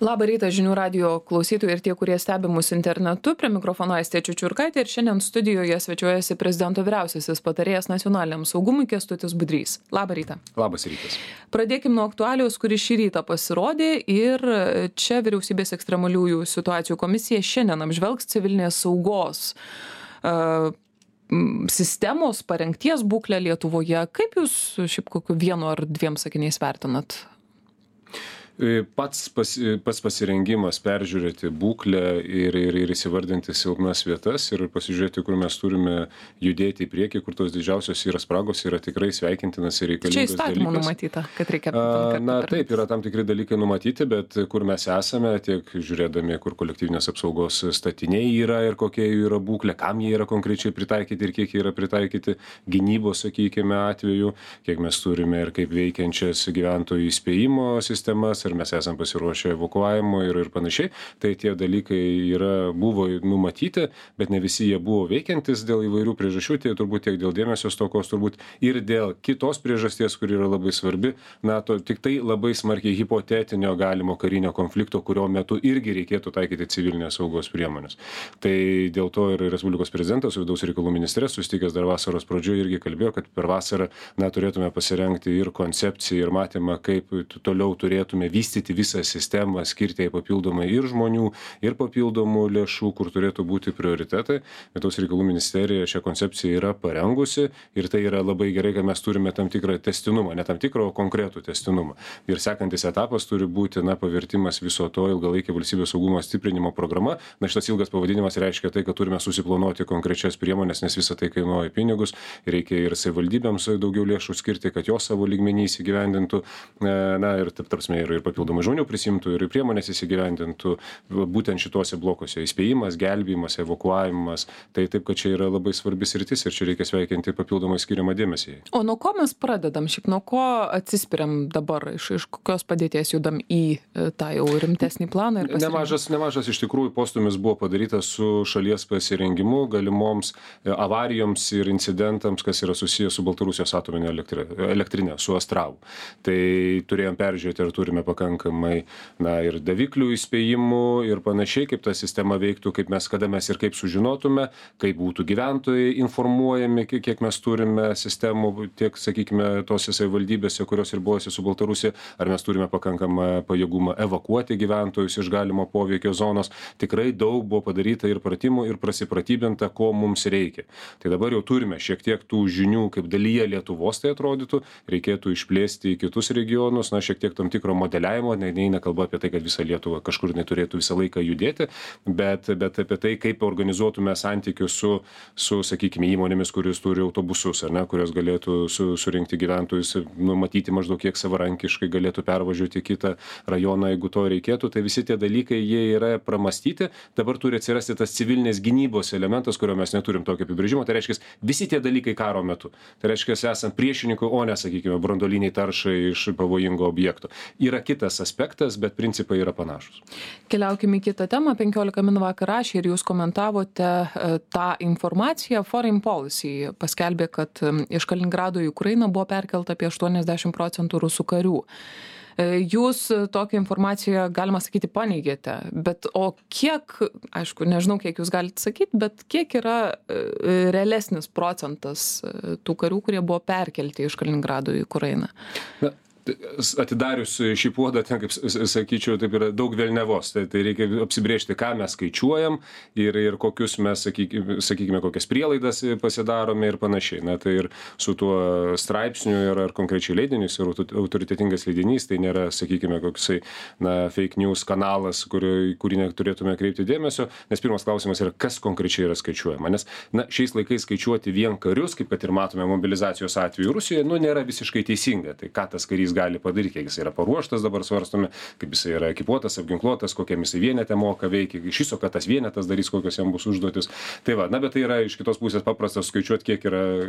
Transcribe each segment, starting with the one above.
Labą rytą žinių radijo klausytojai ir tie, kurie stebi mus internetu. Prie mikrofono Aistė Čiučiurkaitė ir šiandien studijoje svečiuojasi prezidento vyriausiasis patarėjas nacionaliniam saugumui Kęstutis Budrys. Labą rytą. Labas rytas. Pradėkim nuo aktualijos, kuri šį rytą pasirodė ir čia vyriausybės ekstremaliųjų situacijų komisija šiandien apžvelgs civilinės saugos sistemos parengties būklę Lietuvoje. Kaip jūs šiaip kokiu vienu ar dviem sakiniais vertinat? Pats pasirengimas peržiūrėti būklę ir įsivardinti silpnas vietas ir pasižiūrėti, kur mes turime judėti į priekį, kur tos didžiausios yra spragos, yra tikrai sveikintinas ir reikalingas dalykas. Čia įstatymų numatyta, kad reikia. Taip, yra tam tikri dalykai numatyti, bet kur mes esame, tiek žiūrėdami, kur kolektyvinės apsaugos statiniai yra ir kokia jų yra būklė, kam jie yra konkrečiai pritaikyti ir kiek jie yra pritaikyti gynybos, sakykime, atveju, kiek mes turime ir kaip veikiančias gyventojų įspėjimo sistemas, ir mes esam pasiruošę evakuavimo ir panašiai. Tai tie dalykai buvo numatyti, bet ne visi jie buvo veikiantis dėl įvairių priežasčių, tai turbūt tiek dėl dėmesio stokos, turbūt ir dėl kitos priežasties, kuri yra labai svarbi, tik tai labai smarkiai hipotetinio galimo karinio konflikto, kurio metu irgi reikėtų taikyti civilinės saugos priemonės. Tai dėl to ir Respublikos prezidentas su vidaus reikalų ministre susitikęs dar vasaros pradžioje irgi kalbėjo, kad per vasarą turėtume pasirengti ir koncepciją, ir matymą, kaip toliau turėtume vystyti visą sistemą, skirti jai papildomai ir žmonių, ir papildomų lėšų, kur turėtų būti prioritetai. Vidaus reikalų ministerija šią koncepciją yra parengusi ir tai yra labai gerai, kad mes turime tam tikrą testinumą, ne tam tikrą, o konkretų testinumą. Ir sekantis etapas turi būti pavirtimas viso to ilgalaikė valstybės saugumo stiprinimo programa. Šitas ilgas pavadinimas reiškia tai, kad turime susiplanuoti konkrečias priemonės, nes visą tai kainuoja pinigus. Reikia ir savivaldybėms daugiau lėšų skirti, kad jos savo lygmenį įsigyvendintų, ir taip tarpsme ir papildomai žmonių prisimtų ir priemonės įsigyvendintų būtent šituose blokuose. Įspėjimas, gelbėjimas, evakuavimas. Tai taip, kad čia yra labai svarbis sritis ir čia reikia sveikinti papildomai skiriamą dėmesį. O nuo ko mes pradedam? Šiaip nuo ko atsispiriam dabar? Iš kokios padėties judam į tą jau rimtesnį planą? Nemažas iš tikrųjų postumis buvo padarytas su šalies pasirengimu galimoms avarijoms ir incidentams, kas yra susijęs su Baltarusijos atominė elektrinė, su Astravu. Tai turėjom peržiūrėti, ar turime pakankamai ir daviklių įspėjimų ir panašiai, kaip ta sistema veiktų, kada mes ir kaip sužinotume, kaip būtų gyventojai informuojami, kiek mes turime sistemų, tiek, sakykime, tose savivaldybėse, kurios ribojasi su Baltarusija, ar mes turime pakankamą pajėgumą evakuoti gyventojus iš galimo poveikio zonos. Tikrai daug buvo padaryta ir pratimų, ir prasipratybinta, ko mums reikia. Tai dabar jau turime šiek tiek tų žinių, kaip dalyje Lietuvos tai atrodytų, reikėtų išplėsti į kitus regionus, šiek tiek tam tikro modeliavimo, neina kalba apie tai, kad visa Lietuva kažkur neturėtų visą laiką judėti, bet apie tai, kaip organizuotume santykius su sakykime, įmonėmis, kuris turi autobusus, kurios galėtų surinkti gyventojus, numatyti maždaug kiek savarankiškai galėtų pervažiuoti kitą rajoną, jeigu to reikėtų. Tai visi tie dalykai, jie yra pramastyti. Dabar turi atsirasti tas civilinės gynybos elementas, kurio mes neturim tokio apibrėžimo. Tai reiškia, visi tie dalykai karo metu. Tai reiškia, esant priešininkui, o ne, sakykime, branduoliniai taršai iš pavojingo objekto. Yra kitas aspektas, bet principai yra panašus. Keliaukime į kitą temą. 15 min vakar rašė ir jūs komentavote tą informaciją. Foreign Policy paskelbė, kad iš Kaliningrado į Ukrainą buvo perkelta apie 80% rusų karių. Jūs tokią informaciją, galima sakyti, paneigėte, bet o kiek, aišku, nežinau, kiek jūs galite sakyti, bet kiek yra realesnis procentas tų karių, kurie buvo perkelti iš Kaliningrado į Ukrainą? Atidarius šį puodą, ten, kaip sakyčiau, taip yra daug velnevos. Tai reikia apsibrėžti, ką mes skaičiuojam ir kokius mes, sakykime, kokias prielaidas pasidarome ir panašiai. Tai ir su tuo straipsniu ar konkrečiai leidinys ir autoritetingas leidinys, tai nėra, sakykime, koksai fake news kanalas, kurį neturėtume kreipti dėmesio, nes pirmas klausimas yra, kas konkrečiai yra skaičiuojama. Nes šiais laikais skaičiuoti vien karius, kaip kad ir matome mobilizacijos atveju Rusijoje, nėra visiškai teisinga. Tai ką tas karys gali padaryti, kiek jis yra paruoštas, dabar svarstome, kaip jis yra ekipuotas, apginkluotas, kokiam jis vienete moka veikia, iš viso, kad tas vienetas darys, kokios jam bus užduotis. Tai bet tai yra iš kitos pusės paprastas skaičiuoti,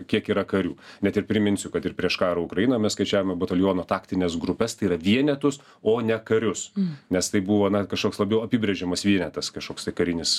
kiek yra karių. Net ir priminsiu, kad ir prieš karą Ukrainą mes skaičiavome bataliono taktinės grupės, tai yra vienetus, o ne karius. Nes tai buvo kažkoks labiau apibrėžiamas vienetas, kažkoks tai karinis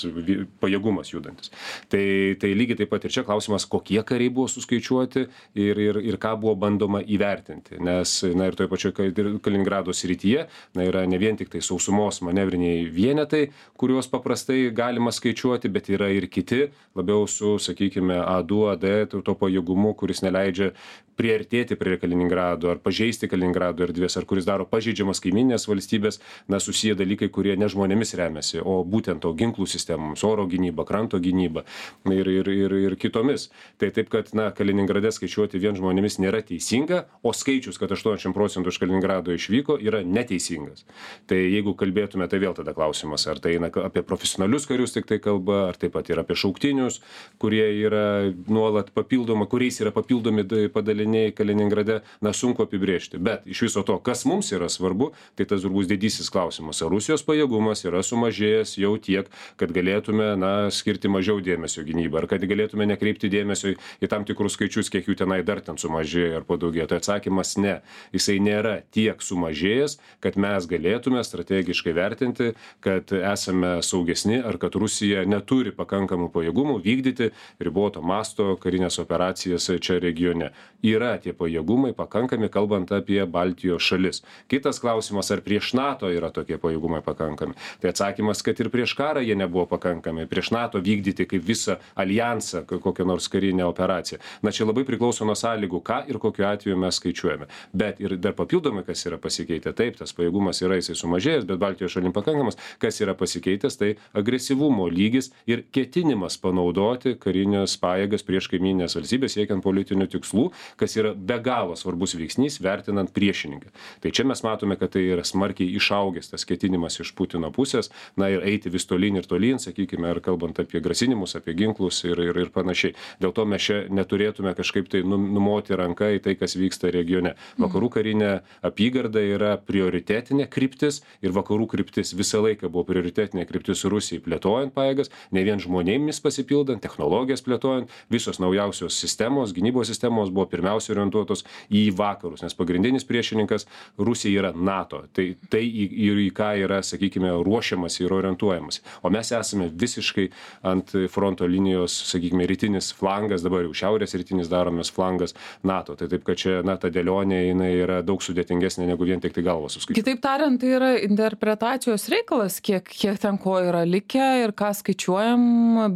pajėgumas judantis. Tai lygiai taip pat ir čia klausimas, kokie kariai buvo suskaičiuoti ir ką buvo bandoma įvertinti. Nes, ir ir toje pačioje Kaliningrado srityje, na, yra ne vien tik tai sausumos manevriniai vienetai, kuriuos paprastai galima skaičiuoti, bet yra ir kiti, labiau su, sakykime, A2, AD, to pajėgumu, kuris neleidžia priartėti prie Kaliningrado ar pažeisti Kaliningrado erdvės, ar kuris daro pažeidžiamas kaiminės valstybės, na, susiję dalykai, kurie ne žmonėmis remiasi, o būtent to ginklų sistemoms, oro gynyba, kranto gynyba ir kitomis. Tai taip, kad, na, Kaliningrade skaičiuoti vien žmonėmis nėra teisinga, o skaičius, kad 80% iš Kaliningrado išvyko, yra neteisingas. Tai jeigu kalbėtume, tai vėl tada klausimas, ar tai eina apie profesionalius karius tik tai kalba, ar taip pat ir apie šauktinius, kurie yra nuolat papildoma, kuriais yra papildomi padaliniai Kaliningrade, na, sunku apibrėžti. Bet iš viso to, kas mums yra svarbu, tai tas turbūt didysis klausimas. Ar Rusijos pajėgumas yra sumažėjęs jau tiek, kad galėtume, na, skirti mažiau dėmesio gynybą, ar kad galėtume nekreipti dėmesio į tam tikrus skaičius, kiek jų tenai dar ten sumažėjo ar padaugėjo. Tai atsakymas ne. Jisai nėra tiek sumažėjęs, kad mes galėtume strategiškai vertinti, kad esame saugesni ar kad Rusija neturi pakankamų pajėgumų vykdyti riboto masto karinės operacijas čia regione. Yra tie pajėgumai pakankami, kalbant apie Baltijos šalis. Kitas klausimas, ar prieš NATO yra tokie pajėgumai pakankami. Tai atsakymas, kad ir prieš karą jie nebuvo pakankami. Prieš NATO vykdyti kaip visą alijansą kokią nors karinę operaciją. Na, čia labai priklauso nuo sąlygų, ką ir kokiu atveju mes skaičiuojame. Bet ir dar papildomai, kas yra pasikeitę, taip, tas pajėgumas yra jisai sumažėjęs, bet Baltijos šalim pakankamas, kas yra pasikeitęs, tai agresyvumo lygis ir ketinimas panaudoti karinės pajėgas prieš kaiminės valstybės siekiant politinių tikslų, kas yra be galo svarbus veiksnys vertinant priešininką. Tai čia mes matome, kad tai yra smarkiai išaugęs tas ketinimas iš Putino pusės, na, ir eiti vis tolyn ir tolyn, sakykime, ar kalbant apie grasinimus, apie ginklus ir panašiai. Dėl to mes čia neturėtume kažkaip tai numoti ranką į tai, kas vyksta regione. Vakarų karinė apygarda yra prioritetinė kryptis ir vakarų kryptis visą laiką buvo prioritetinė kryptis Rusijai plėtojant pajėgas, ne vien žmonėmis pasipildant, technologijas plėtojant, visos naujausios sistemos, gynybos sistemos buvo pirmiausia orientuotos į vakarus, nes pagrindinis priešininkas Rusija yra NATO. Tai į ką yra, sakykime, ruošiamas ir orientuojamas. O mes esame visiškai ant fronto linijos, sakykime, rytinis flangas, dabar jau šiaurės rytinis daromės flangas NATO. Tai taip, kad čia, na, ta dėlionė, jinai yra daug sudėtingesnė negu vien tik tai galvos suskaičiuoti. Kitaip tariant, tai yra interpretacijos reikalas, kiek ten ko yra likę ir ką skaičiuojam,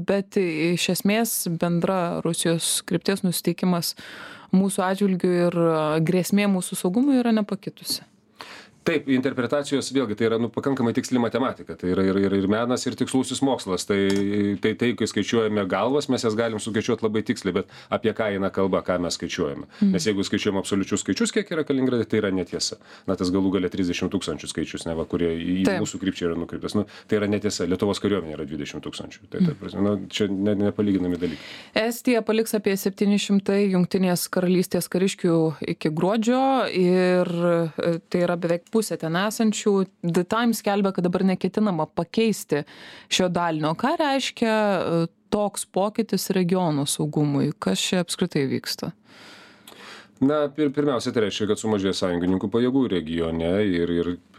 bet iš esmės bendra Rusijos krypties nusiteikimas mūsų atžvilgių ir grėsmė mūsų saugumui yra nepakitusi. Taip, interpretacijos vėlgi tai yra pakankamai tiksli matematika, tai yra ir menas, ir tikslusis mokslas. Tai, kai skaičiuojame galvas, mes jas galim skaičiuoti labai tiksliai, bet apie ką eina kalba, ką mes skaičiuojame. Nes jeigu skaičiuojame absoliučius skaičius, kiek yra Kaliningrade, tai yra netiesa. Na, tas galų galia 30 000 skaičius, neva, kurie į mūsų krypčiai yra nukreiptas. Nu, tai yra netiesa. Lietuvos kariuomenė yra 20 000. Tai, prasme, čia nepalyginami dalykai. Estija paliks apie 700 Jungtinės karalystės kariškių iki gruodžio ir tai yra beveik pusė ten esančių. The Times skelbia, kad dabar neketinama pakeisti šio dalinio. Ką reiškia toks pokytis regionų saugumui? Kas čia apskritai vyksta? Na, pirmiausia, tai reiškia, kad sumažėjo sąjungininkų pajėgų regione ir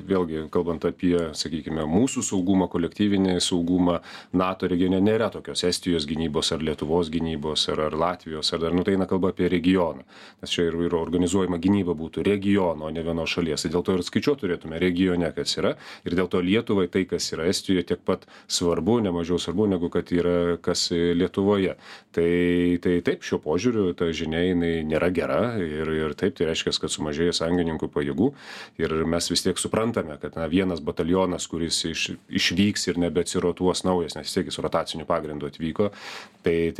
vėlgi, kalbant apie, sakykime, mūsų saugumą, kolektyvinį saugumą, NATO regione nėra tokios Estijos gynybos ar Lietuvos gynybos ar Latvijos, ar dar, tai eina kalba apie regioną. Nes čia ir organizuojama gynyba būtų regiono, o ne vienos šalies. Dėl to ir skaičiuoti turėtume regione, kas yra. Ir dėl to Lietuvai tai, kas yra Estijoje, tiek pat svarbu, nemažiau svarbu, negu kad yra kas Lietuvoje. Tai taip, šiuo požiūriu ta žinia jinai nėra gera. Ir taip, tai reiškia, kad sumažėjo sąjungininkų pajėgų ir mes vis tiek suprantame, kad vienas batalionas, kuris išvyks ir nebeatsirotuos naujas, nes vis tiek jis rotaciniu pagrindu atvyko, tai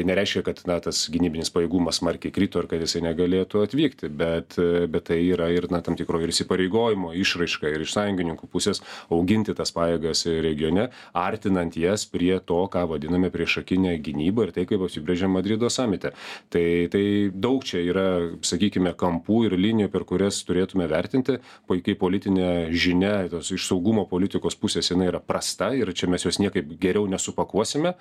nereiškia, kad tas gynybinis pajėgumas smarkiai krito ir kad jisai negalėtų atvykti, bet tai yra ir tam tikro ir įsipareigojimo išraiška ir iš sąjungininkų pusės auginti tas pajėgas regione, artinant jas prie to, ką vadiname priešakinę gynybą ir tai, kaip apsibrėžė Madrido samite. Tai daug čia yra, sakykime, kampų ir linijų, per kurias turėtume vertinti, kai politinė žinia iš saugumo politikos pusės jinai yra prasta ir čia mes jos niekaip geriau nesupakuosime.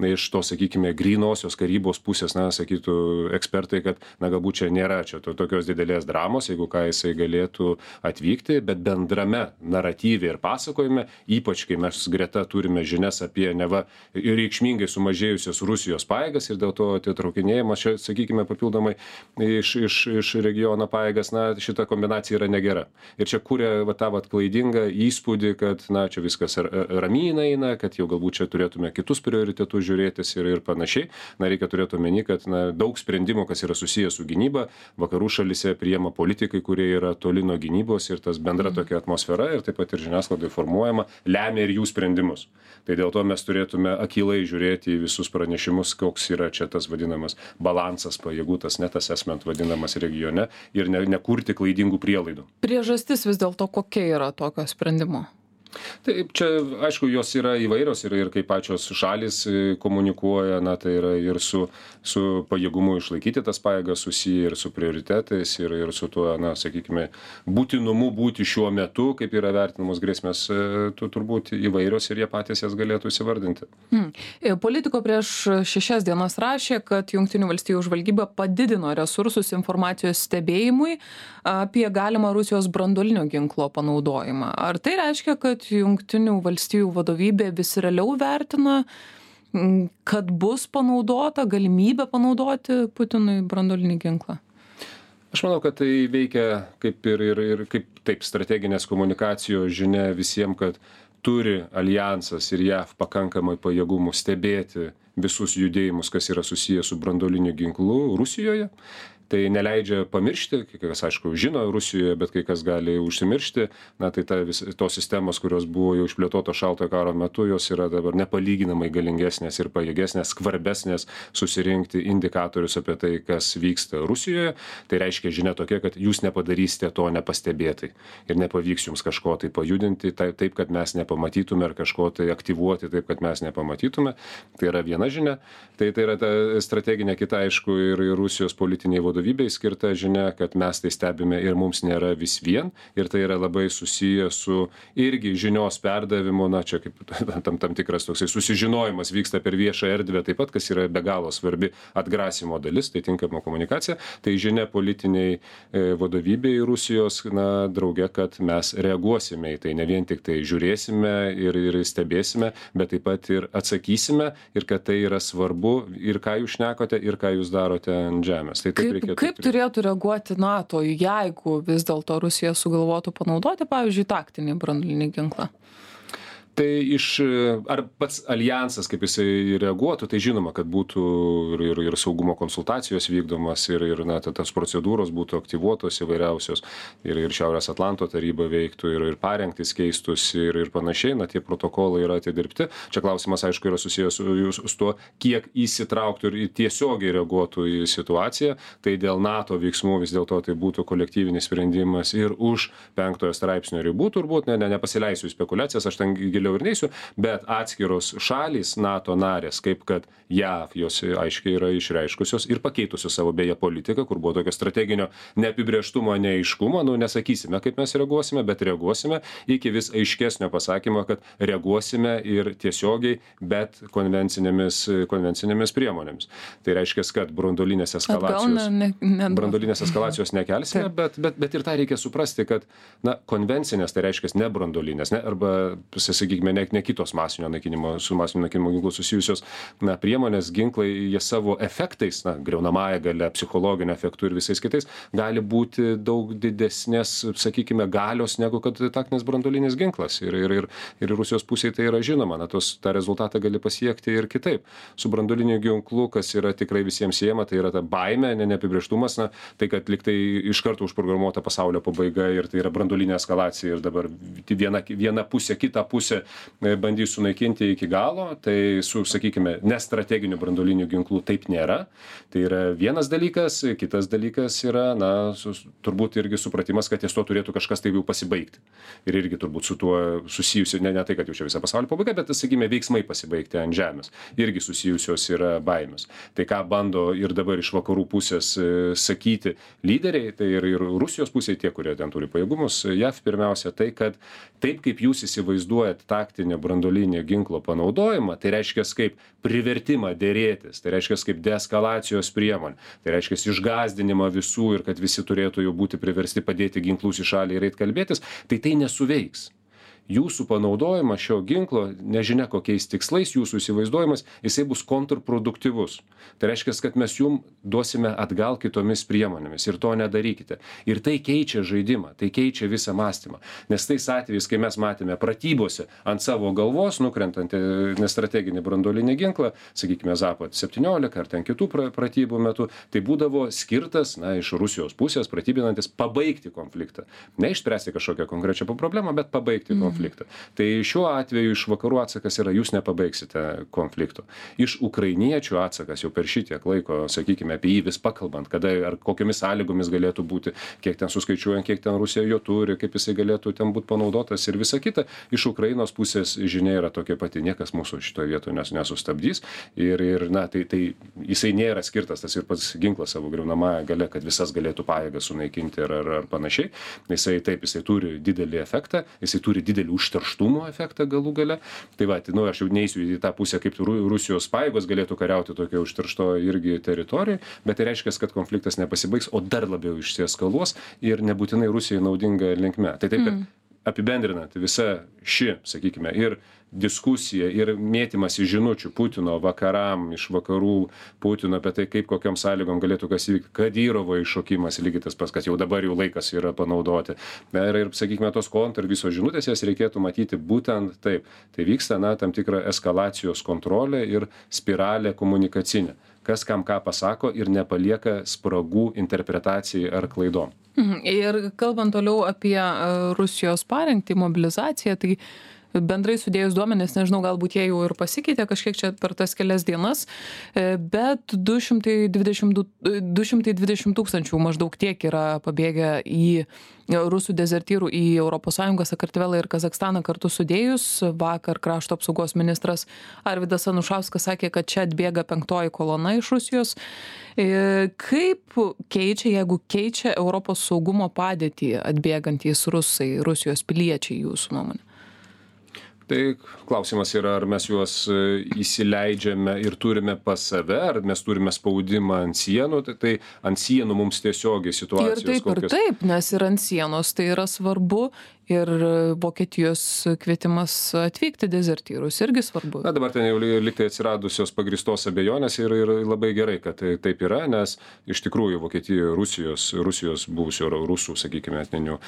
Iš to, sakykime, grynosios karybos pusės, sakytų ekspertai, kad, galbūt čia nėra tokios didelės dramos, jeigu ką jisai galėtų atvykti, bet bendrame naratyve ir pasakojime, ypač kai mes greta turime žinias apie neva reikšmingai sumažėjusios Rusijos pajėgas ir dėl to atitraukinėjimas, čia, sakykime, papildomai iš iš regiono pajėgas, na, šita kombinacija yra negera. Ir čia kuria tą klaidingą įspūdį, kad, na, čia viskas ramyna eina, kad jau galbūt čia turėtume kitus prioritetus žiūrėtis ir panašiai. Na, reikia turėti omeny, kad daug sprendimų, kas yra susijęs su gynyba, vakarų šalyse priima politikai, kurie yra toli nuo gynybos ir tas bendra tokia atmosfera ir taip pat ir žiniasklaidai formuojama, lemia ir jų sprendimus. Tai dėl to mes turėtume akylai žiūrėti į visus pranešimus, koks yra čia tas vadinamas balansas pajėgų, tas net assessment vadinamas regione ir nekurti klaidingų prielaidų. Priežastis vis dėlto kokia yra tokio sprendimo? Taip, čia, aišku, jos yra įvairios ir kaip pačios šalis komunikuoja, na, tai yra ir su pajėgumu išlaikyti tas pajėgas susiję ir su prioritetais ir su tuo, na, sakykime, būtinumu būti šiuo metu, kaip yra vertinamos grėsmės, turbūt įvairios ir jie patys jas galėtų įsivardinti. Politiko prieš 6 dienas rašė, kad Jungtinių valstijų žvalgyba padidino resursus informacijos stebėjimui apie galimą Rusijos branduolinio ginklo panaudojimą. Ar tai reiškia, kad Jungtinių valstijų vadovybė vis realiau vertina, kad bus panaudota galimybė panaudoti Putinui branduolinį ginklą? Aš manau, kad tai veikia kaip ir kaip taip strateginės komunikacijos žinia visiems, kad turi aljansas ir JAV pakankamai pajėgumų stebėti visus judėjimus, kas yra susijęs su branduoliniu ginklu Rusijoje. Tai neleidžia pamiršti, kai kas, aišku, žino Rusijoje, bet kai kas gali užsimiršti, na, tai tos sistemos, kurios buvo jau išplėtotos šaltojo karo metu, jos yra dabar nepalyginamai galingesnės ir pajėgesnės, skvarbesnės susirinkti indikatorius apie tai, kas vyksta Rusijoje. Tai reiškia žinia tokia, kad jūs nepadarysite to nepastebėtai ir nepavyks jums kažko tai pajudinti taip, kad mes nepamatytume, ar kažko tai aktyvuoti taip, kad mes nepamatytume. Tai yra viena žinia. Tai yra ta strateginė kita, aišku, ir Rusijos politiniai vadovybei skirta žinia, kad mes tai stebime ir mums nėra vis vien. Ir tai yra labai susiję su irgi žinios perdavimu, na, čia kaip tam tikras toksai susižinojimas vyksta per viešą erdvę taip pat, kas yra be galo svarbi atgrasimo dalis, tai tinkama komunikacija. Tai žinia politiniai vadovybei Rusijos, na, drauge, kad mes reaguosime į tai, ne vien tik tai žiūrėsime ir stebėsime, bet taip pat ir atsakysime ir kad tai yra svarbu ir ką jūs šnekote ir ką jūs darote ant žemės. Tai kaip turėtų reaguoti NATO, jeigu vis dėlto Rusija sugalvotų panaudoti, pavyzdžiui, taktinį branduolinį ginklą? Tai ar pats aljansas, kaip jisai reaguotų, tai žinoma, kad būtų ir saugumo konsultacijos vykdomas, ir na, tas procedūros būtų aktyvuotos įvairiausios, ir Šiaurės Atlanto taryba veiktų, ir parengtis keistųsi, ir panašiai, na, tie protokolai yra atidirbti. Čia klausimas, aišku, yra susijęs su tuo, kiek įsitrauktų ir tiesiogiai reaguotų į situaciją. Tai dėl NATO veiksmų vis dėlto tai būtų kolektyvinis sprendimas ir už 5 straipsnio ribų, turbūt, nepasileisiu į spekulacijas, aš ten giliau ir neisiu, bet atskiros šalys NATO narės, kaip kad JAV, jos aiškiai yra išreiškusios ir pakeitusios savo beje politiką, kur buvo tokio strateginio neapibrėžtumo, neaiškumo, nesakysime, kaip mes reaguosime, bet reaguosime iki vis aiškesnio pasakymo, kad reaguosime ir tiesiogiai, bet konvencinėmis priemonėmis. Tai reiškia, kad branduolinės eskalacijos nekelsime, bet ir tą reikia suprasti, kad konvencinės, tai reiškia ne branduolinės, arba, sakykime, ne kitos masinio naikinimo, su masinio naikinimo ginklu susijusios priemonės, ginklai, jie savo efektais, griaunamąja galia, psichologiniu efektu ir visais kitais, gali būti daug didesnės, sakykime, galios negu kad taktinis branduolinis ginklas. Ir Rusijos pusėje tai yra žinoma, tą rezultatą gali pasiekti ir kitaip. Su branduoliniu ginklu, kas yra tikrai visiems siejama, tai yra ta baimė, neapibrėžtumas, tai kad liktai iš karto užprogramuota pasaulio pabaiga ir tai yra branduolinė eskalacija ir dabar viena pusė, kita pusė bandys sunaikinti iki galo, tai su, sakykime, nestrateginiu branduoliniu ginklu taip nėra. Tai yra vienas dalykas, kitas dalykas yra, turbūt irgi supratimas, kad ties to turėtų kažkas tai jau pasibaigti. Ir irgi turbūt su tuo susijusi, ne tai, kad jau čia visą pasaulio pabaiga, bet, sakykime, veiksmai pasibaigti ant žemės. Irgi susijusios yra baimės. Tai ką bando ir dabar iš vakarų pusės sakyti lyderiai, tai ir Rusijos pusėje tie, kurie ten turi pajėgumus, JAV pirmiausia, tai, kad taip kaip jūs įsivaizduojat taktinio branduolinio ginklo panaudojimą, tai reiškia kaip privertimą dėrėtis, tai reiškia kaip deeskalacijos priemonė, tai reiškia išgąsdinimą visų ir kad visi turėtų jau būti priversti padėti ginklus į šalį ir eit kalbėtis, tai nesuveiks. jūsų panaudojimas šio ginklo, nežinia kokiais tikslais, jūsų įsivaizduojimas, jisai bus kontrproduktyvus. Tai reiškia, kad mes jums duosime atgal kitomis priemonėmis ir to nedarykite. Ir tai keičia žaidimą, tai keičia visą mąstymą. Nes tais atvejais, kai mes matėme pratybose ant savo galvos nukrentantį nestrateginį branduolinį ginklą, sakykime, Zapad 17 ar ten kitų pratybų metu, tai būdavo skirtas, iš Rusijos pusės pratybinantis pabaigti konfliktą. Ne išspręsti kažkokią konkrečią problemą, bet pabaigti konfliktą. Tai šiuo atveju iš vakarų atsakas yra, jūs nepabaigsite konflikto. Iš ukrainiečių atsakas jau per šitiek laiko, sakykime, apie jį vis pakalbant, kada ar kokiamis sąlygomis galėtų būti, kiek ten suskaičiuojant, kiek ten Rusija jo turi, kaip jisai galėtų ten būti panaudotas ir visa kita. Iš Ukrainos pusės žinia yra tokia pati, niekas mūsų šitoje vietoje nesustabdys. Ir tai jisai nėra skirtas, tas ir pats ginklas savo griaunamąją galia, kad visas galėtų pajėgas sunaikinti ar panašiai. Jisai turi didelį efektą, jisai turi didelį užterštumo efektą galų gale. Tai aš jau neisiu į tą pusę, kaip Rusijos pajėgos galėtų kariauti tokio užteršto irgi teritorijoje, bet tai reiškia, kad konfliktas nepasibaigs, o dar labiau išsieskaluos ir nebūtinai Rusijai naudinga linkme. Tai taip, kad apibendrinant visa ši, sakykime, ir diskusija ir mėtymas į žinučių Putino vakaram, iš vakarų Putino apie tai, kaip kokiam sąlygom galėtų kas įvykti, Kadyrovo iššokimas, lygiai tas pats, kad jau dabar jau laikas yra panaudoti. Ir sakykime, tos kontra visos žinutės, jas reikėtų matyti būtent taip. Tai vyksta, tam tikra eskalacijos kontrolė ir spiralė komunikacinė. Kas kam ką pasako ir nepalieka spragų interpretacijai ar klaidom. Ir kalbant toliau apie Rusijos parengtį, mobilizaciją, tai bendrai sudėjus duomenis, nežinau, galbūt jie jau ir pasikeitė kažkiek čia per tas kelias dienas, bet 220 tūkstančių maždaug tiek yra pabėgę į rusų dezertyrų į ES, Sakartvelą ir Kazakstaną kartu sudėjus. Vakar krašto apsaugos ministras Arvydas Anušauskas sakė, kad čia atbėga 5. kolona iš Rusijos. Kaip keičia, jeigu keičia Europos saugumo padėtį atbėgantys rusai, Rusijos piliečiai, jūsų nuomonė? Tai klausimas yra, ar mes juos įsileidžiame ir turime pas save, ar mes turime spaudimą ant sienų, tai ant sienų mums tiesiogiai situacijos. Ir taip, nes ir ant sienos tai yra svarbu. Ir Vokietijos kvietimas atvykti dezertyrus irgi svarbu. Dabar ten jau liktai atsiradusios pagristos abejonės ir labai gerai, kad taip yra, nes iš tikrųjų Vokietijoje Rusijos buvusių rusų, sakykime, etninių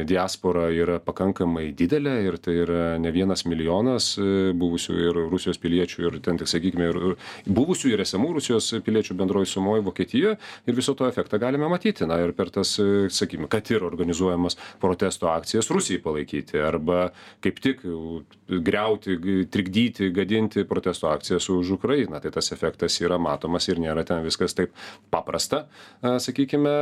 diaspora yra pakankamai didelė ir tai yra ne 1 milijonas buvusių ir Rusijos piliečių ir ten tik, sakykime, ir buvusių ir esamų Rusijos piliečių bendroji sumoji Vokietijoje ir viso to efektą galime matyti. Ir per tas, sakykime, kad ir organizuojamas protesto akcijas Rusijai palaikyti arba kaip tik griauti, trikdyti, gadinti protesto akcijas už Ukrainą. Tai tas efektas yra matomas ir nėra ten viskas taip paprasta, sakykime,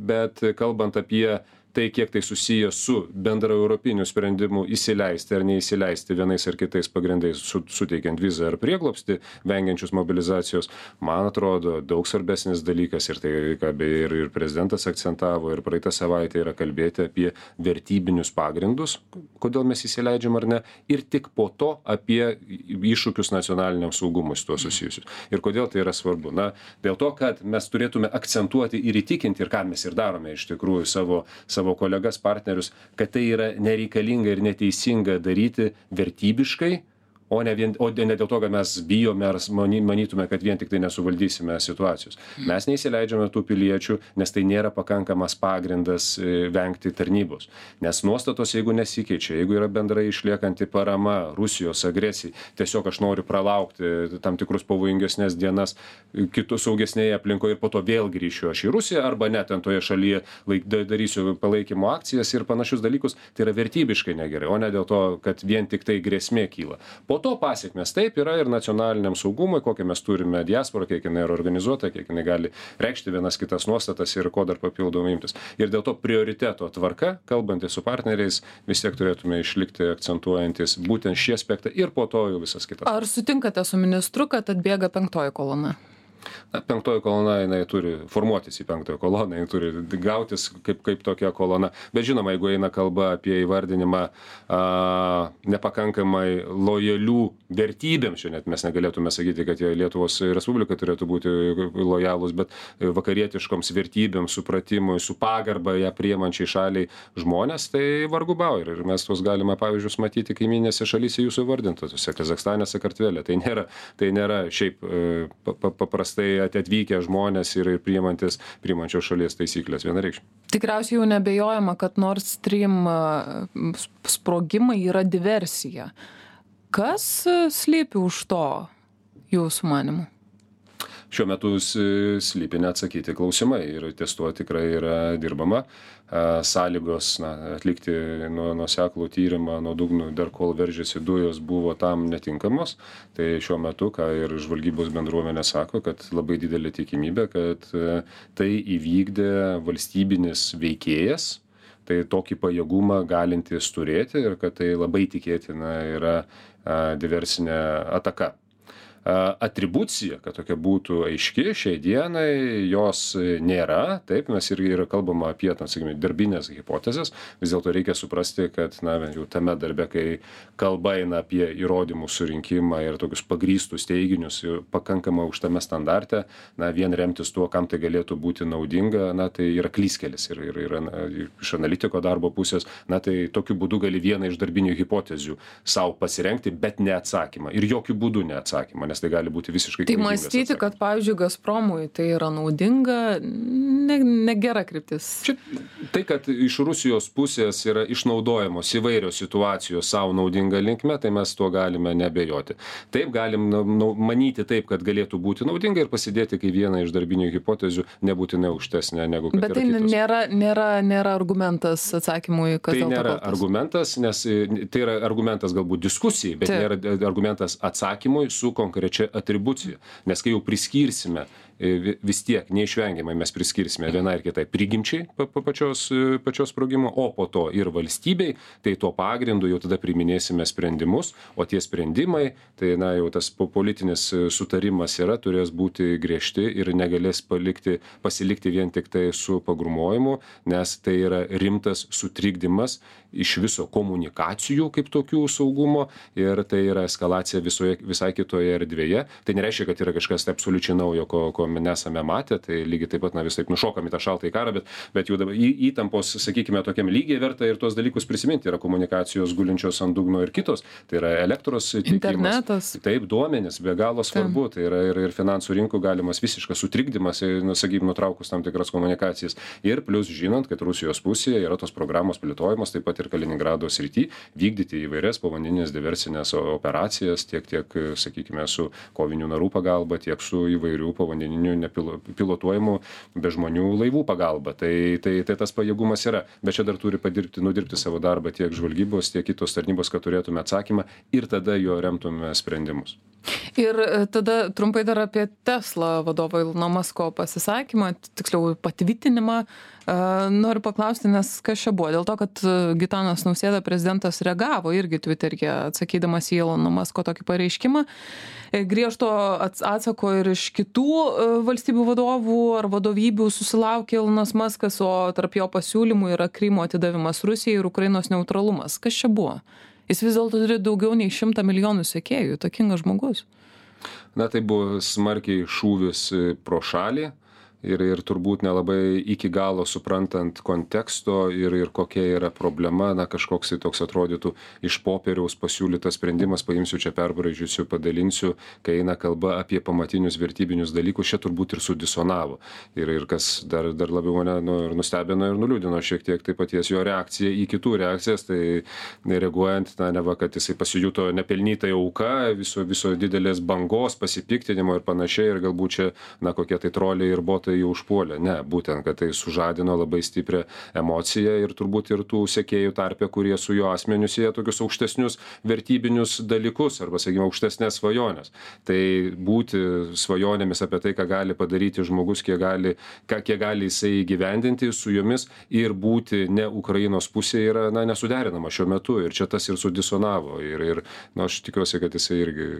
bet kalbant apie tai, kiek tai susiję su bendra europiniu sprendimu įsileisti ar neįsileisti vienais ar kitais pagrindais, suteikiant vizą ar prieglobstį, vengiančius mobilizacijos, man atrodo, daug svarbesnis dalykas ir tai, ką beje ir prezidentas akcentavo ir praeitą savaitę, yra kalbėti apie vertybinius pagrindus, kodėl mes įsileidžiam ar ne, ir tik po to apie iššūkius nacionaliniam saugumui su tuo susijusius. Ir kodėl tai yra svarbu? Dėl to, kad mes turėtume akcentuoti ir įtikinti, ir ką mes ir darome iš tikrųjų savo kolegas, partnerius, kad tai yra nereikalinga ir neteisinga daryti vertybiškai, o ne dėl to, kad mes bijome ar manytume, kad vien tik tai nesuvaldysime situacijos. Mes neįsileidžiame tų piliečių, nes tai nėra pakankamas pagrindas vengti tarnybos. Nes nuostatos, jeigu nesikeičia, jeigu yra bendrai išliekanti parama Rusijos agresijai, tiesiog aš noriu pralaukti tam tikrus pavojingesnės dienas kitų saugesnėje aplinkoje ir po to vėl grįšiu aš į Rusiją arba net ten toje šalyje darysiu palaikymo akcijas ir panašius dalykus, tai yra vertybiškai negerai, o ne dėl to, kad vien tik tai grėsmė kyla. Po to pasiekmes taip yra ir nacionaliniam saugumui, kokią mes turime diasporą, kiek jinai yra organizuota, kiek jinai gali reikšti vienas kitas nuostatas ir ko dar papildomai imtis. Ir dėl to prioriteto tvarka, kalbantys su partneriais, vis tiek turėtume išlikti akcentuojantis būtent šį aspektą ir po to jau visas kitas. Ar sutinkate su ministru, kad atbėga 5. kolona? Na, penktoji kolona, jinai turi formuotis į penktąją koloną, jinai turi gautis kaip tokia kolona. Bet žinoma, jeigu eina kalba apie įvardinimą nepakankamai lojalių vertybėm, šiandien mes negalėtume sakyti, kad jie Lietuvos Respublika turėtų būti lojalūs, bet vakarietiškoms vertybėm, supratimui, su pagarba ją priemančiai šaliai žmonės, tai vargu bau. Ir mes tuos galime pavyzdžius matyti kaiminėse šalyse jūsų vardintose, Kazachstane, Sakartvele. Tai nėra šiaip paprastai atvykę žmonės ir priimančios šalies taisyklės vienareikšmiai. Tikriausiai jau nebejojama, kad Nord Stream sprogimai yra diversija. Kas slypi už to, jūsų manymu? Šiuo metu slypi neatsakyti klausimai ir ties tuo tikrai yra dirbama. Sąlygos atlikti nuoseklų tyrimą nuo dugnų, dar kol veržėsi dujos, buvo tam netinkamos. Tai šiuo metu, ką ir žvalgybos bendruomenė sako, kad labai didelė tikimybė, kad tai įvykdė valstybinis veikėjas, tai tokį pajėgumą galintis turėti ir kad tai labai tikėtina yra diversinė ataka. Atribucija, kad tokia būtų aiški, šiai dienai jos nėra, taip, mes irgi yra kalbama apie, sakykime, darbinės hipotezės, vis dėlto reikia suprasti, kad, bent jau tame darbe, kai kalba eina apie įrodymų surinkimą ir tokius pagrįstus teiginius, pakankamai aukštame standarte, vien remtis tuo, kam tai galėtų būti naudinga, tai yra klyskelis ir iš analitiko darbo pusės, tai tokiu būdu gali vieną iš darbinių hipotezių savo pasirengti, bet ne atsakymą ir jokių būdų ne atsakymą, nes tai gali būti visiškai tai mąstyti, kad, pavyzdžiui, Gazpromui tai yra naudinga, negera kryptis. Tai, kad iš Rusijos pusės yra išnaudojamos įvairios situacijos savo naudinga linkme, tai mes tuo galime nebejoti. Taip, galim manyti taip, kad galėtų būti naudinga ir pasidėti kaip vieną iš darbinių hipotezių, nebūtinai aukštesnė negu kad bet tai nėra argumentas atsakymui, kas tai nėra argumentas, nes tai yra argumentas galbūt diskusijai, bet nėra argumentas atsakymui su konkrečia atribucija. Nes kai jau priskirsime, vis tiek neišvengiamai mes priskirsime vienai ir kitai prigimčiai pačios sprogimo, o po to ir valstybei, tai tuo pagrindu jau tada priiminėsime sprendimus, o tie sprendimai, tai jau tas politinis sutarimas turės būti griežti ir negalės pasilikti vien tik tai su pagrūmojimu, nes tai yra rimtas sutrikdymas iš viso komunikacijų kaip tokių saugumo ir tai yra eskalacija visai kitoje erdvėje. Tai nereiškia, kad yra kažkas absoliučiai naujo, ko nesame matę, tai lygiai taip pat vis taip nušokam į tą šaltąjį karą, bet jau dabar įtampos, sakykime, tokiam lygiai verta ir tuos dalykus prisiminti. Yra komunikacijos gulinčios ant dugno ir kitos, tai yra elektros tiekimas, internetas. Taip, duomenys, be galo svarbu, tai yra ir finansų rinkų galimas visiškas sutrikdymas, sakykime, nutraukus tam tikras komunikacijas. Ir plus žinant, kad Rusijos pusėje yra tos programos plėtojamos, taip pat ir Kaliningrado srity, vykdyti įvairias povandeninės diversinės operacijas, tiek, sakykime, su kovinių narų pagalba, tiek su įvairių povandeninių nepilotuojamų be žmonių laivų pagalba. Tai tas pajėgumas yra. Bet čia dar turi nudirbti savo darbą tiek žvalgybos, tiek kitos tarnybos, kad turėtume atsakymą ir tada jo remtume sprendimus. Ir tada trumpai dar apie Tesla vadovo Ilono Masko pasisakymą, tiksliau patvirtinimą. Noriu paklausti, nes kas čia buvo? Dėl to, kad Gitanas Nausėda prezidentas reagavo irgi Twitteryje, atsakydamas į Ilono Masko tokį pareiškimą. Griežto atsako ir iš kitų valstybių vadovų ar vadovybių susilaukė Ilonas Maskas, o tarp jo pasiūlymų yra Krymo atidavimas Rusijai ir Ukrainos neutralumas. Kas čia buvo? Jis vis dėlto turi daugiau nei 100 milijonų sekėjų, įtakingas žmogus. Tai buvo smarkiai šūvis pro šalį. Ir turbūt nelabai iki galo suprantant konteksto ir kokia yra problema, kažkoks toks atrodytų iš popieriaus pasiūlytas sprendimas, paimsiu čia perbraižysiu, padalinsiu, kai eina kalba apie pamatinius vertybinius dalykus, čia turbūt ir sudisonavo. Ir kas dar labiau mane nustebino ir nuliūdino šiek tiek tai paties jo reakcija į kitų reakcijas, tai reaguojant, neva, kad jisai pasijuto nepelnytai auka viso didelės bangos, pasipiktinimo ir panašiai, ir galbūt čia, kokie tai troliai ir botai jau užpuolė. Ne, būtent, kad tai sužadino labai stiprią emociją ir turbūt ir tų sekėjų tarpe, kurie su jo asmeniu sieja tokius aukštesnius vertybinius dalykus arba, sakykime, aukštesnės svajonės. Tai būti svajonėmis apie tai, ką gali padaryti žmogus, kiek gali jisai įgyvendinti su jomis ir būti ne Ukrainos pusėje yra nesuderinama šiuo metu ir čia tas ir sudisonavo ir aš tikiuosi, kad jisai irgi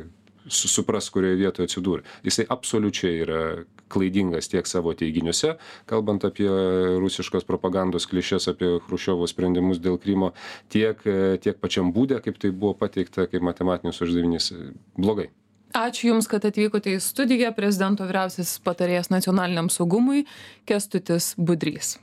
supras, kurioje vietoje atsidūrė. Jisai absoliučiai yra klaidingas tiek savo teiginiuose, kalbant apie rusiškos propagandos klišes, apie Chruščiovo sprendimus dėl Krymo, tiek pačiam būde, kaip tai buvo pateikta, kaip matematinis uždavinys. Blogai. Ačiū Jums, kad atvykote į studiją. Prezidento vyriausiasis patarėjas nacionaliniam saugumui Kęstutis Budrys.